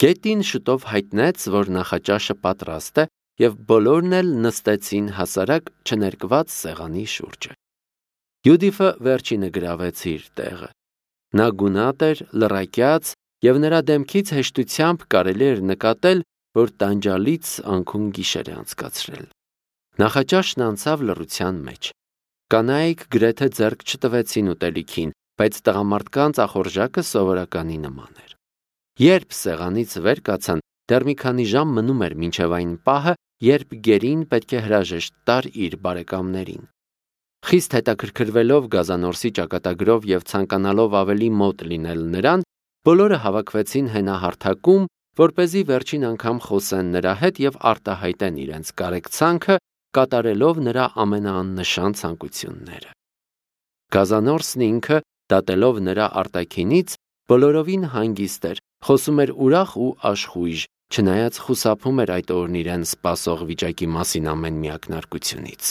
Գետին շուտով հայտնեց, որ նախաճաշը պատրաստ է, և բոլորն էլ նստեցին հասարակ չներկված սեղանի շուրջը։ Յուդիֆը վերջինը գրավեց իր տեղը։ Նա գունատ էր, լռակյաց, և նրա դեմքից հեշտությամբ կարելի էր նկատել, որ տանջալից անքուն գիշեր է անցկացրել։ Նախաճաշն անցավ լռության մեջ։ Կանայք գրեթե ձեռք չտվեցին ուտելիքին, բայց տղամարդկանց ախորժակը սովորականի նման էր։ Երբ սեղանից վեր կացան, դեռ մի քանի ժամ մնում էր մինչև այն պահը, երբ գերին պետք է հրաժեշտ տար իր բարեկամներին։ Խիստ հետաքրքրվելով Գազանորսի ճակատագրով և ցանկանալով ավելի մոտ լինել նրան, բոլորը հավաքվեցին հենահարթակում, որպեսզի վերջին անգամ խոսեն նրա հետ և արտահայտեն իրենց կարեկցանքը, կատարելով նրա ամենաաննշան ցանկությունները։ Գազանորսն ինքը, դատելով նրա արտաքինից, բոլորովին հանգիստ էր, խոսում էր ուրախ ու աշխույժ, չնայած խուսափում էր այդ օրն իրեն սպասող վիճակի մասին ամեն մի ակնարկությունից։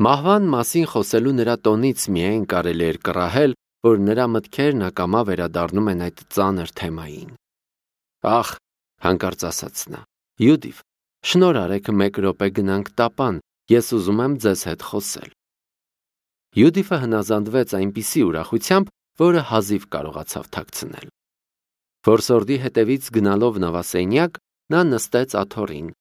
Մահվան մասին խոսելու նրա տոնից միայն կարելի էր կռահել, որ նրա մտքերն ակամա վերադառնում են այդ ծանր թեմային։ Ախ, հանկարծ ասաց նա, Յուդիվ, շնորհ արեք մեկ րոպե գնանք տապան, ես ուզում եմ ձեզ հետ խոսել։ Յուդիֆը հնազանդվեց այնպիսի ուրախությամբ, որը հազիվ կարողացավ թաքցնել։ Որսորդի հետևից գնալով նավասենյակ, նա նստեց աթոռին։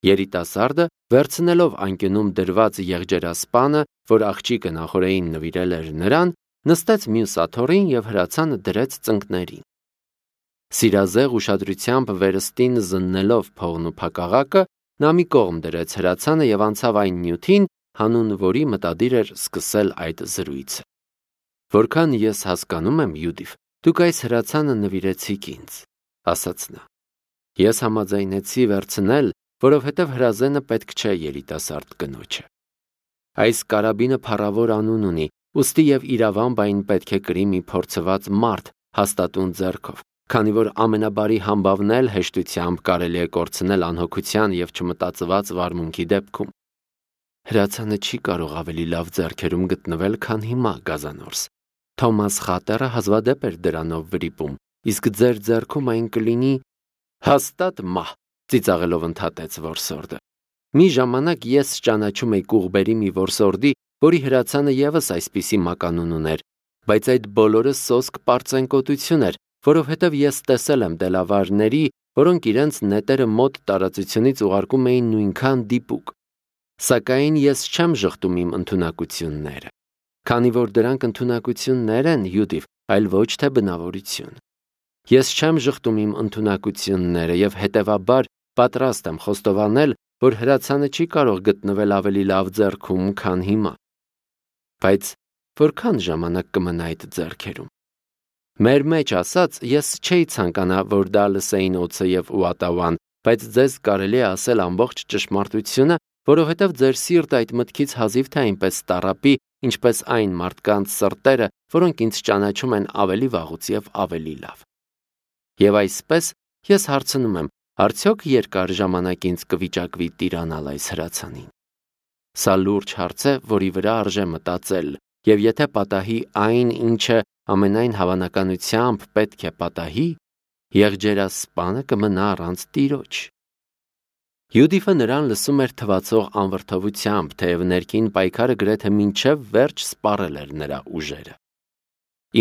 Երիտասարդը, վերցնելով անկյունում դրված եղջերասպանը, որ աղջիկը նախօրեին նվիրել էր նրան, նստեց մյուս աթոռին և հրացանը դրեց ծնկներին։ Սիրազեղ ուշադրությամբ վերստին զննելով փողն ու փակաղակը, նա մի կողմ դրեց հրացանը և անցավ այն նյութին, հանուն որի մտադիր էր սկսել այդ զրույցը։ Որքան ես հասկանում եմ, Յուդիվ, դուք այս հրացանը նվիրեցիք ինձ, ասաց նա։ Ես համաձայնեցի վերցնել, որովհետև հրազենը պետք չէ երիտասարդ կնոջը։ Այս կարաբինը փառավոր անուն ունի, ուստի և իրավամբ այն պետք է կրի մի փորձված մարդ հաստատուն ձեռքով, քանի որ ամենաբարի համբավն էլ հեշտությամբ կարելի է կորցնել անհոգության և չմտածված վարմունքի դեպքում։ Հրացանը չի կարող ավելի լավ ձեռքերում գտնվել, քան հիմա, Գազանորս։ Թոմաս Խատերը հազվադեպ էր դրանով վրիպում, իսկ ձեր ձեռքում այն կլինի… Հաստատ մահ, ծիծաղելով ընդհատեց որսորդը։ Մի ժամանակ ես ճանաչում էի Կուղբերի մի որսորդի, որի հրացանը ևս այսպիսի մականուն ուներ, բայց այդ բոլորը սոսկ պարծենկոտություն էր, որովհետև ես տեսել եմ դելավարների, որոնք իրենց նետերը մոտ տարածությունից ուղարկում էին նույնքան դիպուկ։ Սակայն ես չեմ ժխտում իմ ընդունակությունները, քանի որ դրանք ընդունակություններ են, Յուդիվ, այլ ոչ թե բնավորություն։ Ես չեմ ժխտում իմ ընդունակությունները և հետևաբար պատրաստ եմ խոստովանել, որ հրացանը չի կարող գտնվել ավելի լավ ձեռքում, քան հիմա։ Բայց որքան ժամանակ կմնա այդ ձեռքերում։ Մեր մեջ ասած, ես չէի ցանկանա, որ դա լսեին օձը և Ուատավան, բայց ձեզ կարելի է ասել ամբողջ ճշմարտությունը, որովհետև ձեր սիրտը այդ մտքից հազիվ թե այնպես տառապի, ինչպես այն մարդկանց սրտերը, որոնք ինձ ճանաչում են ավելի վաղուց և ավելի լավ։ Եվ այսպես ես հարցնում եմ, արդյոք երկար ժամանակ ինձ կվիճակվի տիրանալ այս հրացանին։ Սա լուրջ հարց է, որի վրա արժե մտածել, և եթե պատահի այն, ինչը ամենայն հավանականությամբ պետք է պատահի, եղջերասպանը կմնա առանց տիրոջ։ Յուդիֆը նրան լսում էր թվացող անվրդովությամբ, թեև ներքին պայքարը գրեթե մինչև վերջ սպառել էր նրա ուժերը։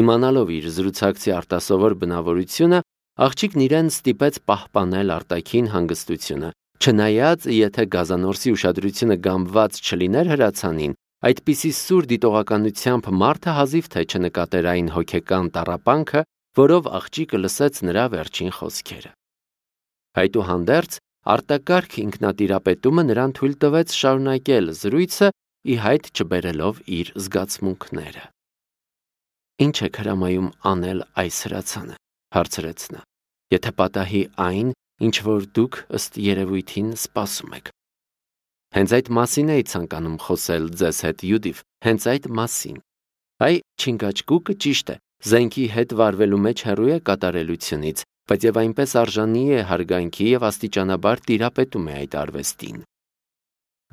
Իմանալով իր զրուցակցի արտասովոր բնավորությունը, աղջիկն իրեն ստիպեց պահպանել արտաքին հանգստությունը, չնայած եթե Գազանորսի ուշադրությունը գամբված չլիներ հրացանին, այդպիսի սուր դիտողականությամբ մարդը հազիվ թե չնկատեր այն հոգեկան տառապանքը, որով աղջիկը լսեց նրա վերջին խոսքերը։ Այդուհանդերձ, արտակարգ ինքնատիրապետումը նրան թույլ տվեց շարունակել զրույցը, ի հայտ չբերելով իր զգացմունքները։ Ինչ եք հրամայում անել այս հրացանը, հարցրեց նա, եթե պատահի այն, ինչ որ դուք ըստ երևույթին սպասում եք։ Հենց այդ մասին էի ցանկանում խոսել ձեզ հետ, Յուդիվ, հենց այդ մասին։ Այ Չինգաչգուկը ճիշտ է, զենքի հետ վարվելու մեջ հեռու է կատարելությունից, բայց եւ այնպես արժանի է հարգանքի եւ աստիճանաբար տիրապետում է այդ արվեստին։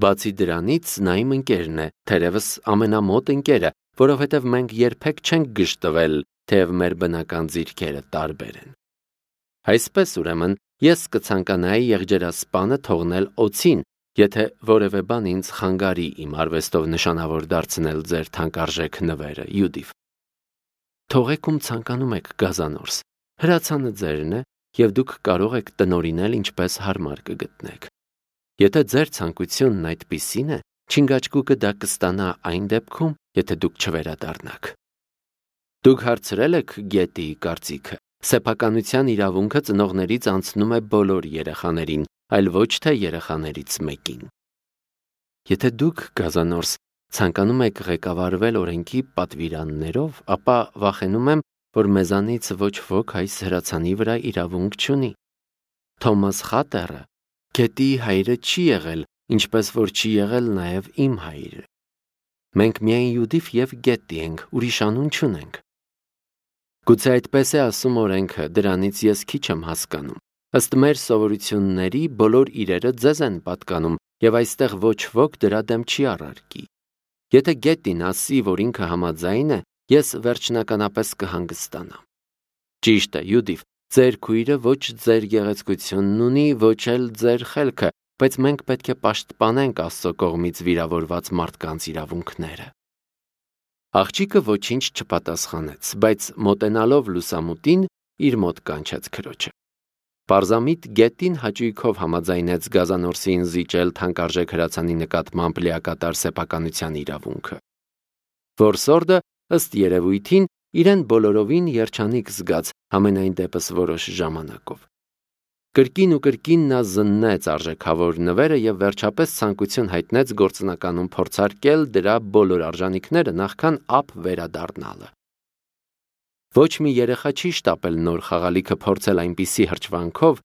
Բացի դրանից, նա իմ ընկերն է, թերևս ամենամոտ ընկերը, որովհետև մենք երբեք չենք գժտվել, թեև մեր բնական ձիրքերը տարբեր են։ Այսպես ուրեմն ես կցանկանայի եղջերասպանը թողնել օձին, եթե որևէ բան ինձ խանգարի իմ արվեստով նշանավոր դարձնել ձեր թանկարժեք նվերը, Յուդիվ։ Թողեք ում ցանկանում եք գազանորս, հրացանը ձերն է, եւ դուք կարող եք տնօրինել ինչպես հարմար կգտնեք։ Եթե ձեր ցանկությունն այդպիսին է, չինգաչկուկը դա կստանա այն դեպքում, եթե դուք չվերադառնաք։ Դուք հարցրել եք Գետիի կարծիքը։ Սեփականության իրավունքը ծնողներից անցնում է բոլոր երեխաներին, այլ ոչ թե երեխաներից մեկին։ Եթե դուք գազանորս ցանկանում եք ղեկավարվել օրենքի պատվիրաններով, ապա վախենում եմ, որ մեզանից ոչ ոք այս հրացանի վրա իրավունք չունի։ Թոմաս Խատերը Գետիի հայրը չի եղել, ինչպես որ չի եղել նաև իմ հայրը։ Մենք միայն Յուդիվ եւ Գետի ենք, ուրիշ անուն չունենք։ Գուցե այդպես է ասում օրենքը, դրանից ես քիչ եմ հասկանում։ Ըստ մեր սովորությունների բոլոր իրերը ձեզ են պատկանում, եւ այստեղ ոչ ոք դրա դեմ չի առարկի։ Եթե Գետին ասի, որ ինքը համաձայն է, ես վերջնականապես կհանգստանամ։ Ճիշտ է, Յուդիվ, ձեր քույրը ոչ ձեր գեղեցկությունն ունի, ոչ էլ ձեր խելքը, բայց մենք պետք է պաշտպանենք Աստծո կողմից վիրավորված մարդկանց իրավունքները։ Աղջիկը ոչինչ չպատասխանեց, բայց մոտենալով լուսամուտին իր մոտ կանչեց քրոջը։ Պարզամիտ Գետին հաճույքով համաձայնեց գազանորսին զիջել թանկարժեք հրացանի նկատմամբ լիակատար սեփականության իրավունքը։ Որսորդը ըստ երևույթին իրեն բոլորովին երջանիկ զգաց, համենայն դեպս որոշ ժամանակով։ Կրկին ու կրկին նա զննեց արժեքավոր նվերը եւ վերջապես ցանկություն հայտնեց գործնականում փորձարկել դրա բոլոր արժանինքները նախքան ապ վերադառնալը։ Ոչ մի երեխա չի շտապել նոր խաղալիքը փորձել այնպիսի հրճվանքով,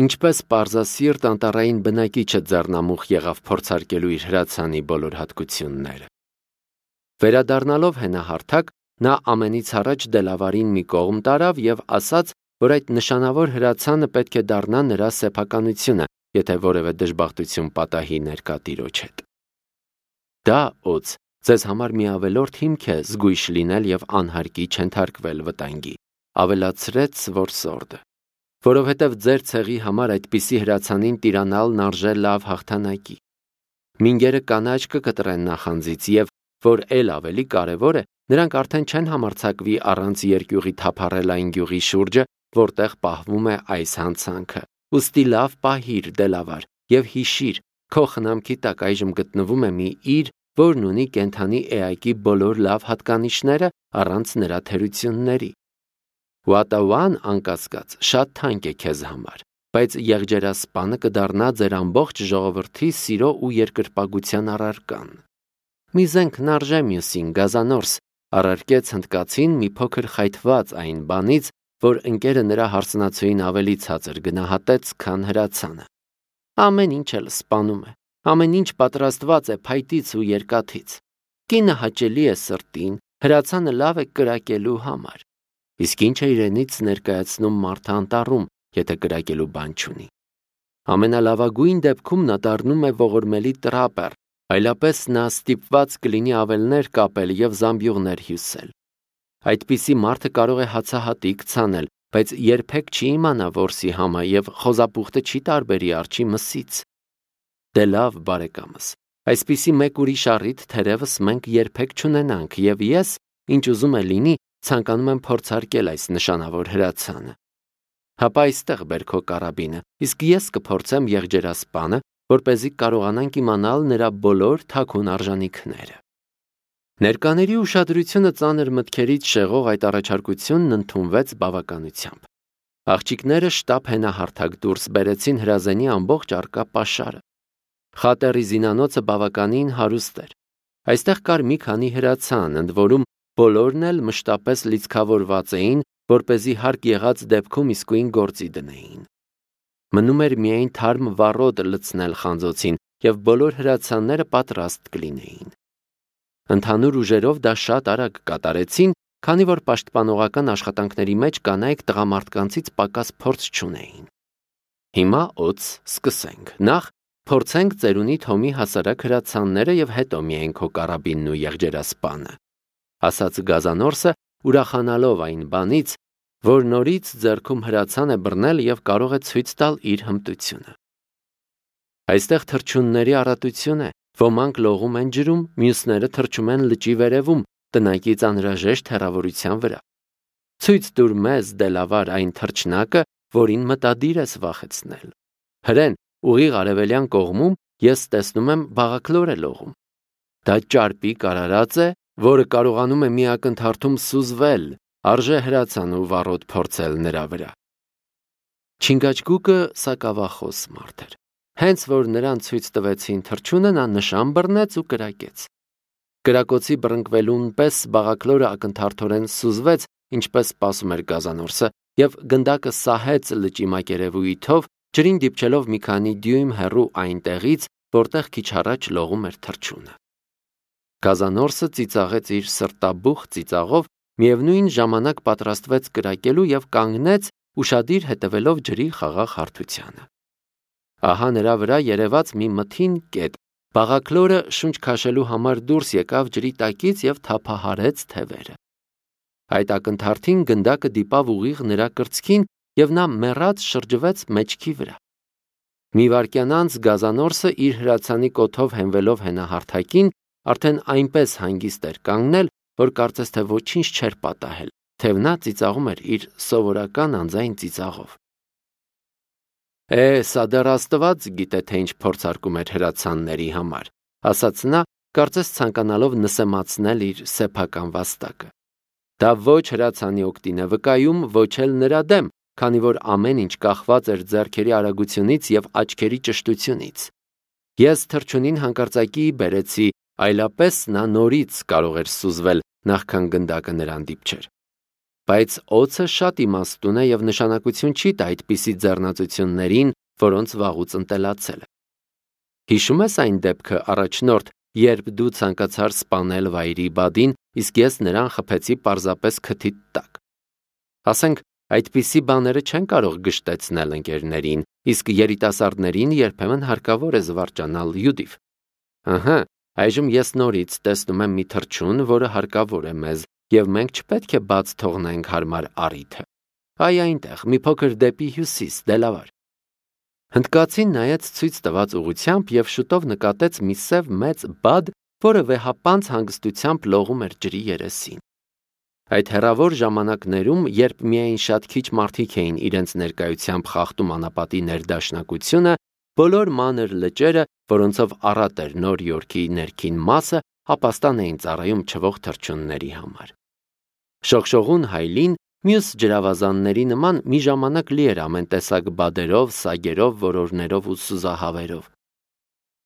ինչպես պարզասիրտ անտառային բնակիչը ձեռնամուխ եղավ փորձարկելու իր հրացանի բոլոր հատկությունները։ Վերադառնալով հենահարթակ, նա ամենից առաջ Դելավարին մի կողմ տարավ եւ ասաց, որ այդ նշանավոր հրացանը պետք է դառնա նրա սեփականությունը, եթե որևէ դժբախտություն պատահի ներկա տիրոջ հետ։ Դա օձ ձեզ համար մի ավելորդ հիմք է զգույշ լինել եւ անհարկի չընթարկվել վտանգի, ավելացրեց որսորդը, որովհետեւ ձեր ցեղի համար այդպիսի հրացանին տիրանալն արժե լավ հաղթանակի։ Մինգերը կանաչ կկտրեն նախանձից եւ, որ ել ավելի կարևոր է, նրանք արդեն չեն համարձակվի առանց երկյուղի թափառել այն գյուղի շուրջը, որտեղ պահվում է այս հանցանքը։ Ուստի լավ պահիր, Դելավար, եւ հիշիր, քո խնամքի տակ այժմ գտնվում է մի իր, որն ունի կենդանի էակի բոլոր լավ հատկանիշները առանց նրա թերությունների։ Ուատաուան անկասկած շատ թանկ է քեզ համար, բայց եղջերասպանը կդառնա ձեր ամբողջ ժողովրդի սիրո ու երկրպագության առարկան։ Մի զենք նարժե մյուսին գազանորս, առարկեց հնդկացին մի փոքր խայթված այն բանից, որ ընկերը նրա հարսնացուին ավելի ցածր գնահատեց, քան հրացանը։ Ամեն ինչ էլ սպանում է, ամեն ինչ պատրաստված է փայտից ու երկաթից։ Կինը հաճելի է սրտին, հրացանը լավ է կրակելու համար։ Իսկ ինչ է իրենից ներկայացնում մարդը անտառում, եթե կրակելու բան չունի։ Ամենալավագույն դեպքում նա դառնում է ողորմելի տրապեր, այլապես նա ստիպված կլինի ավելներ կապել եւ զամբյուղներ հյուսել։ Այդպիսի մարդը կարող է հացահատիկ ցանել, բայց երբեք չի իմանա որսի համը եւ խոզապուխտը չի տարբերի արջի մսից։ Դե լավ, բարեկամս, այսպիսի մեկ ուրիշ առիթ թերևս մենք երբեք չունենանք եւ ես, ինչ ուզում է լինի, ցանկանում եմ փորձարկել այս նշանավոր հրացանը։ Հապա այստեղ բեր քո կարաբինը, իսկ ես կփորձեմ եղջերասպանը, որպեսզի կարողանանք իմանալ նրա բոլոր թաքուն արժանինքները։ Ներկաների ուշադրությունը ծանր մտքերից շեղող այդ առաջարկությունն ընդունվեց բավականությամբ։ Աղջիկները շտապ հենահարթակ դուրս բերեցին հրազենի ամբողջ առկա պաշարը։ Խատերի զինանոցը բավականին հարուստ էր։ Այստեղ կար մի քանի հրացան, ընդ որում բոլորն էլ մշտապես լիցքավորված էին, որպեսզի հարկ եղած դեպքում իսկույն գործի դնեին։ Մնում էր միայն թարմ վառոդ լցնել խանձոցին, եւ բոլոր հրացանները պատրաստ կլինեին։ Ընդհանուր ուժերով դա շատ արագ կատարեցին, քանի որ պաշտպանողական աշխատանքների մեջ կանայք տղամարդկանցից պակաս փորձ չունեին։ Հիմա օց սկսենք։ Նախ փորձենք ծերունի Թոմի հասարակ հրացանները եւ հետո միայն քո կարաբինն ու եղջերասպանը, ասաց գազանորսը, ուրախանալով այն բանից, որ նորից ձեռքում հրացան է բռնել եւ կարող է ցույց տալ իր հմտությունը։ Այստեղ թռչունների առատություն է, ոմանք լողում են ջրում, մյուսները թռչում են լճի վերևում, տնակից անհրաժեշտ հեռավորության վրա։ Ցույց տուր մեզ դելավար այն թռչնակը, որին մտադիր ես վախեցնել։ Հրեն, ուղիղ արևելյան կողմում ես տեսնում եմ բաղաքլոր է լողում։ Դա ճարպիկ արարած է, որը կարողանում է մի ակնթարթում սուզվել, արժե հրացան ու վառոդ փորձել նրա վրա։ Չինգաչգուկը սակավախոս մարդ էր։ Հենց որ նրան ցույց տվեցին թռչունը, նա նշան բռնեց ու կրակեց։ Կրակոցի բռնկվելուն պես բաղաքլորը ակնթարթորեն սուզվեց, ինչպես սպասում էր գազանորսը, եւ գնդակը սահեց լճի մակերևույթով, ջրին դիպչելով մի քանի դյույմ հեռու այնտեղից, որտեղ քիչ առաջ լողում էր թռչունը։ Գազանորսը ծիծաղեց իր սրտաբուխ ծիծաղով, միևնույն ժամանակ պատրաստվեց կրակելու եւ կանգնեց, ուշադիր հետևելով ջրի խաղաղ հարթությանը։ Ահա նրա վրա երևաց մի մթին կետ։ Բաղաքլորը շունչ քաշելու համար դուրս եկավ ջրի տակից եւ թափահարեց թևերը։ Այդ ակնթարթին գնդակը դիպավ ուղիղ նրա կրծքին եւ նա մեռած շրջվեց մեջքի վրա։ Մի վայրկյան անց գազանորսը իր հրացանի կոթով հենվելով հենահարթակին արդեն այնպես հանգիստ էր կանգնել, որ կարծես թե ոչինչ չէր պատահել, թեև նա ծիծաղում էր իր սովորական անձայն ծիծաղով։ Սա դեռ Աստված գիտե, թե ինչ փորձարկում էր հրացանների համար, ասաց նա, կարծես ցանկանալով նսեմացնել իր սեփական վաստակը։ Դա ոչ հրացանի օգտին է վկայում, ոչ էլ նրա դեմ, քանի որ ամեն ինչ կախված էր ձեռքերի արագությունից եւ աչքերի ճշտությունից։ Ես թռչունին հանկարծակի բերեցի, այլապես նա նորից կարող էր սուզվել, նախքան գնդակը նրան դիպչեր։ Բայց օձը շատ իմաստուն է եւ նշանակություն չի տա այդպիսի ձեռնացություններին, որոնց վաղուց ընտելացել է։ Հիշում ես այն դեպքը առաջնորդ, երբ դու ցանկացար սպանել վայրի բադին, իսկ ես նրան խփեցի պարզապես քթիդ տակ։ Ասենք, այդպիսի բաները չեն կարող գշտեցնել ընկերներին, իսկ երիտասարդներին երբեմն հարկավոր է զվարճանալ յուդիվ։ Ահա, այժմ ես նորից տեսնում եմ մի թռչուն, որը հարկավոր է մեզ, եւ մենք չպետք է բաց թողնենք հարմար առիթը։ Այ այնտեղ, մի փոքր դեպի հյուսիս, դելավար։ Հնդկացին նայեց ցույց տված ուղությամբ եւ շուտով նկատեց մի սև մեծ բադ, որը վեհապանց հանգստությամբ լողում էր ջրի երեսին։ Այդ հեռավոր ժամանակներում, երբ միայն շատ քիչ մարդիկ էին իրենց ներկայությամբ խախտում անապատի ներդաշնակությունը, բոլոր մանր լճերը, որոնցով առատ էր Նոր Յորքի ներքին մասը, ապաստան էին ծառայում չվող թռչունների համար։ Շողշողուն հայլին մյուս ջրավազանների նման մի ժամանակ լի էր ամեն տեսակ բադերով, սագերով, որորներով ու սուզահավերով։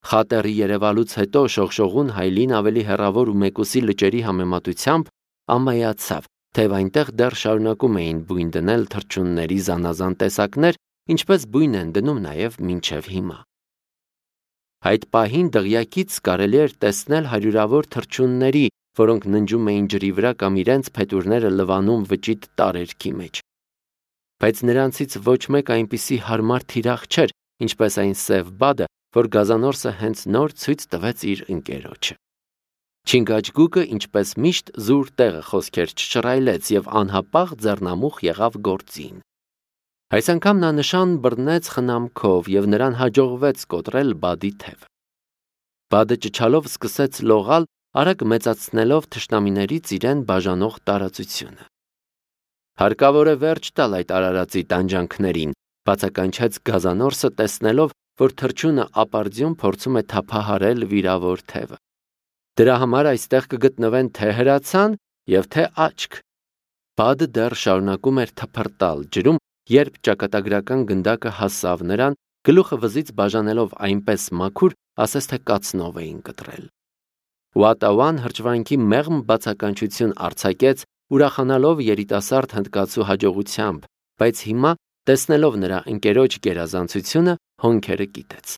Խատերի երևալուց հետո շողշողուն հայլին ավելի հեռավոր ու մեկուսի լճերի համեմատությամբ ամայացավ, թեև այնտեղ դեռ շարունակում էին բույն դնել թռչունների զանազան տեսակներ, ինչպես բույն են դնում նաև մինչև հիմա։ Այդ պահին դղյակից կարելի էր տեսնել հարյուրավոր թռչունների, որոնք ննջում էին ջրի վրա կամ իրենց փետուրները լվանում վճիտ տարերքի մեջ։ Բայց նրանցից ոչ մեկ այնպիսի հարմար թիրախ չէր, ինչպես այն սև բադը, որ գազանորսը հենց նոր ցույց տվեց իր ընկերոջը։ Չինգաչգուկը, ինչպես միշտ, զուր տեղը խոսքեր չշռայլեց եւ անհապաղ ձեռնամուխ եղավ գործին։ Այս անգամ նա նշան բռնեց խնամքով եւ նրան հաջողվեց կոտրել բադի թևը։ Բադը ճչալով սկսեց լողալ, արագ մեծացնելով թշնամիներից իրեն բաժանող տարածությունը։ Հարկավոր է վերջ տալ այդ արարածի տանջանքներին, բացականչեց գազանորսը, տեսնելով, որ թռչունը ապարդյուն փորձում է թափահարել վիրավոր թևը։ Դրա համար այստեղ կգտնվեն թե հրացան եւ թե աչք։ Բադը դեռ շարունակում էր թփրտալ ջրում, երբ ճակատագրական գնդակը հասավ նրան, գլուխը վզից բաժանելով այնպես մաքուր, ասես թե կացնով էին կտրել։ Ուատաուան հրճվանքի մեղմ բացականչություն արձակեց, ուրախանալով երիտասարդ հնդկացու հաջողությամբ, բայց հիմա, տեսնելով նրա ընկերոջ գերազանցությունը, հոնքերը կիտեց։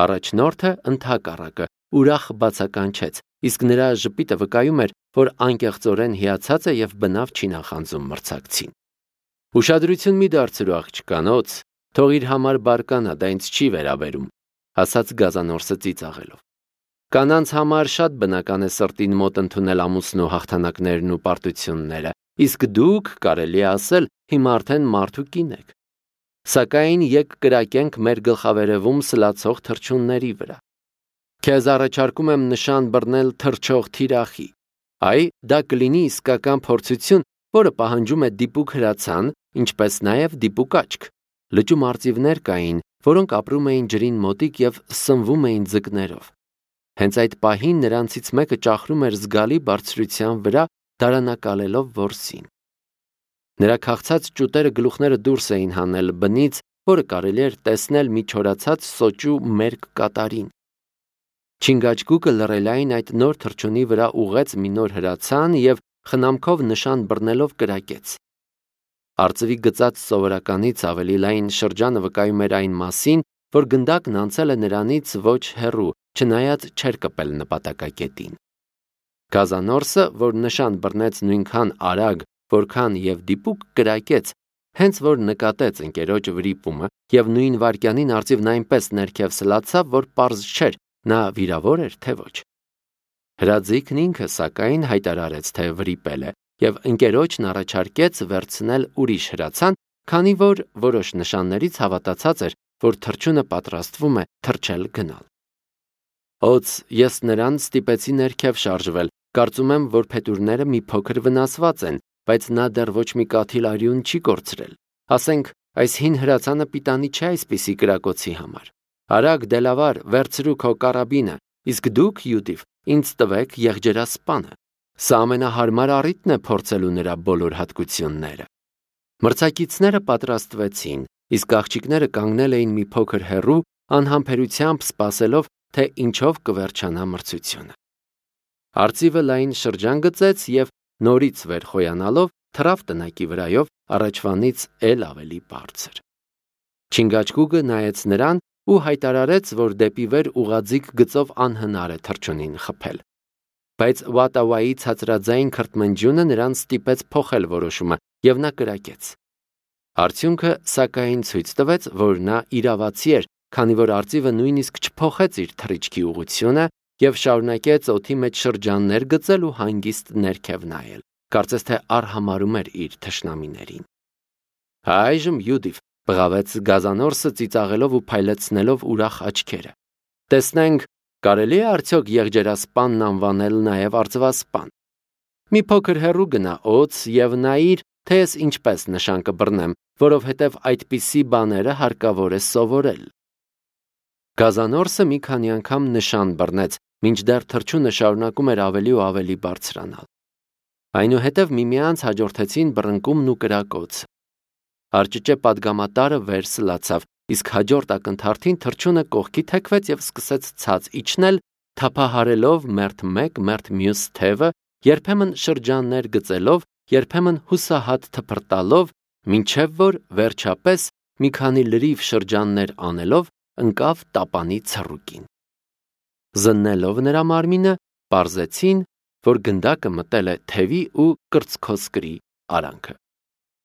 Առաջնորդը ընդհակառակը ուրախ բացականչեց, իսկ նրա ժպիտը վկայում էր, որ անկեղծորեն հիացած է եւ բնավ չի նախանձում մրցակցին։ Ուշադրություն մի դարձրու աղջկանոց, թող իր համար բարկանա, դա ինձ չի վերաբերում, ասաց գազանորսը ծիծաղելով։ Կանանց համար շատ բնական է սրտին մոտ ընդունել ամուսնու հաղթանակներն ու պարտությունները, իսկ դուք, կարելի է ասել, հիմա արդեն մարդու կին եք։ Սակայն եք կրակենք մեր գլխավերևում սլացող թռչունների վրա։ Քեզ առաջարկում եմ նշան բռնել թռչող թիրախի։ Այ, դա կլինի իսկական փորձություն, որը պահանջում է դիպուկ հրացան, ինչպես նաև դիպուկ աչք։ Լճում արծիվներ կային, որոնք ապրում էին ջրին մոտիկ և սնվում էին ձկներով։ Հենց այդ պահին նրանցից մեկը ճախրում էր զգալի բարձրության վրա, դարանակալելով որսին։ Նրա քաղցած ճուտերը գլուխները դուրս էին հանել բնից, որը կարելի էր տեսնել մի չորացած սոճու մերկ կատարին։ Չինգաչգուկը լռելային այդ նոր թռչունի վրա ուղղեց մի նոր հրացան և խնամքով նշան բռնելով կրակեց։ Արծվի գծած սովորականից ավելի լայն շրջանը վկայում էր այն մասին, որ գնդակն անցել է նրանից ոչ հեռու, չնայած չէր կպել նպատակակետին։ Գազանորսը, որ նշան բռնեց նույնքան արագ, որքան և դիպուկ կրակեց, հենց որ նկատեց ընկերոջ վրիպումը և նույն վայրկյանին արծիվն այնպես ներքև սլացավ, որ պարզ չէր, նա վիրավոր էր, թե ոչ։ Հրաձիգն ինքը, սակայն, հայտարարեց, թե վրիպել է, և ընկերոջն առաջարկեց վերցնել ուրիշ հրացան, քանի որ որոշ նշաններից հավատացած էր, որ թռչունը պատրաստվում է թռչել գնալ։ Օձ, ես նրան ստիպեցի ներքև շարժվել, կարծում եմ, որ փետուրները մի փոքր վնասված են, բայց նա դեռ ոչ մի կաթիլ արյուն չի կորցրել։ Ասենք, այս հին հրացանը պիտանի չէ այսպիսի կրակոցի համար։ Արագ դելավար, վերցրու քո կարաբինը, իսկ դուք, Յուդիվ, ինձ տվեք եղջերասպանը։ Սա ամենահարմար առիթն է փորձելու նրա բոլոր հատկությունները։ Մրցակիցները պատրաստվեցին, իսկ աղջիկները կանգնել էին մի փոքր հեռու, անհամբերությամբ սպասելով, թե ինչով կվերջանա մրցությունը։ Արծիվը լայն շրջան գծեց և նորից վեր խոյանալով թռավ տնակի վրայով առաջվանից էլ ավելի բարձր։ Չինգաչգուկը նայեց նրան ու հայտարարեց, որ դեպի վեր ուղղաձիգ գծով անհնար է թռչունին խփել։ Բայց Ուատավայի ցածրաձայն քրթմնջյունը նրան ստիպեց փոխել որոշումը, և նա կրակեց։ Արդյունքը, սակայն, ցույց տվեց, որ նա իրավացի էր, քանի որ արծիվը նույնիսկ չփոխեց իր թռիչքի ուղղությունը և շարունակեց օդի մեջ շրջաններ գծել ու հանգիստ ներքև նայել, կարծես թե արհամարհում էր իր թշնամիներին։ Այժմ Յուդիվ, բղավեց Գազանորսը ծիծաղելով ու փայլեցնելով ուրախ աչքերը։ Տեսնենք, կարելի է արդյոք եղջերասպանն անվանել նաև արծվասպան։ Մի փոքր հեռու գնա օձ և նայիր, թե ես ինչպես նշան կբռնեմ, որովհետև այդպիսի բաները հարկավոր է սովորել։ Գազանորսը մի քանի անգամ նշան բռնեց, մինչդեռ թռչունը շարունակում էր ավելի ու ավելի բարձրանալ։ Այնուհետև միմյանց հաջորդեցին բռնկումն ու կրակոցը։ Արջճե պատգամատարը վեր սլացավ, իսկ հաջորդ ակնթարթին թռչունը կողքի թեքվեց և սկսեց ցած իջնել, թափահարելով մերթ մեկ, մերթ մյուս թևը, երբեմն շրջաններ գծելով, երբեմն հուսահատ թփրտալով, մինչև որ վերջապես մի քանի լրիվ շրջաններ անելով ընկավ տապանի ցռուկին։ Զննելով նրա մարմինը, պարզեցին, որ գնդակը մտել է թևի ու կրծքոսկրի արանքը։